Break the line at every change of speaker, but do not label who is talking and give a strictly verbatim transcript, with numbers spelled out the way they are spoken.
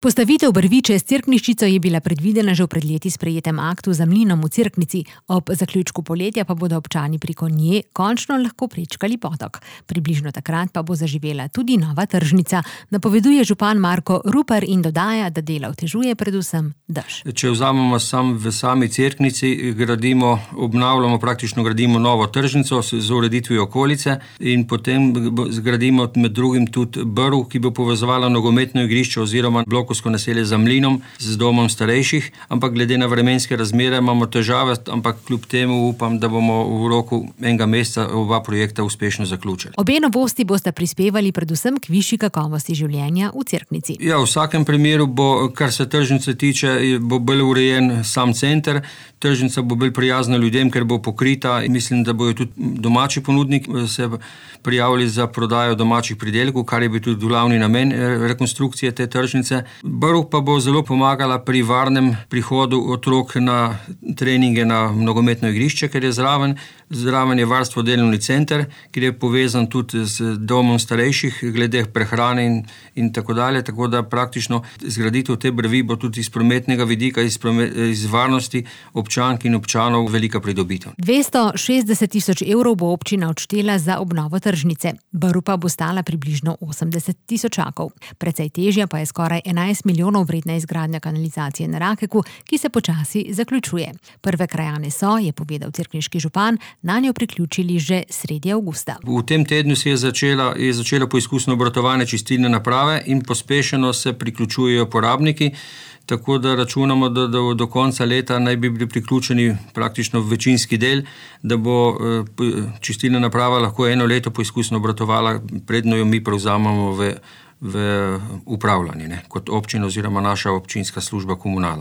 Postavitev brvi čez Cerkniščico je bila predvidena že v pred leti sprejetem aktu za mlinom v Cerknici, ob zaključku poletja pa bodo občani preko nje končno lahko prečkali potok. Približno takrat pa bo zaživela tudi nova tržnica, napoveduje župan Marko Rupar in dodaja, da dela otežuje predvsem dež.
Če vzamemo sam v sami Cerknici, gradimo, obnavljamo, praktično gradimo novo tržnico z ureditvijo okolice in potem zgradimo med drugim tudi brv, ki bo povezovala nogometno igrišče oziroma blok naselje za mlinom z domom starejših, ampak glede na vremenske razmere imamo težave, ampak kljub temu upam, da bomo v roku enega meseca oba projekta uspešno zaključili.
Obe novosti boste prispevali predvsem k višji kakovosti življenja v Cerknici.
Ja, v vsakem primeru bo, kar se tržnice tiče, bo bolj urejen sam center, tržnica bo bolj prijazna ljudem, ker bo pokrita in mislim, da bojo tudi domači ponudniki se prijavili za prodajo domačih pridelkov, kar je bil tudi glavni namen rekonstrukcije te tržnice. Brv pa bo zelo pomagala pri varnem prihodu otrok na treninge na nogometno igrišče, ker je zraven. Zraven je varstvo delovni center, ki je povezan tudi z domom starejših, glede prehrane in, in tako dalje. Tako da praktično zgraditev te brvi bo tudi iz prometnega vidika, iz, promet, iz varnosti občank in občanov velika pridobitev.
dvesto šestdeset tisoč evrov bo občina odštela za obnovo tržnice. Brv pa bo stala približno osemdeset tisočakov. Precej težja pa je skoraj enajst milijonov vredna izgradnja kanalizacije na Rakeku, ki se počasi zaključuje. Prve krajane so, je povedal cerkniški župan, na njo priključili že sredi avgusta.
V tem tednu se je začela, je začela poizkusno obratovanje čistilne naprave in pospešeno se priključujejo porabniki, tako da računamo, da, da do konca leta naj bi bili priključeni praktično večinski del, da bo čistilna naprava lahko eno leto poizkusno obratovala, predno jo mi prevzamemo v, v upravljanje, ne, kot občina oziroma naša občinska služba komunala.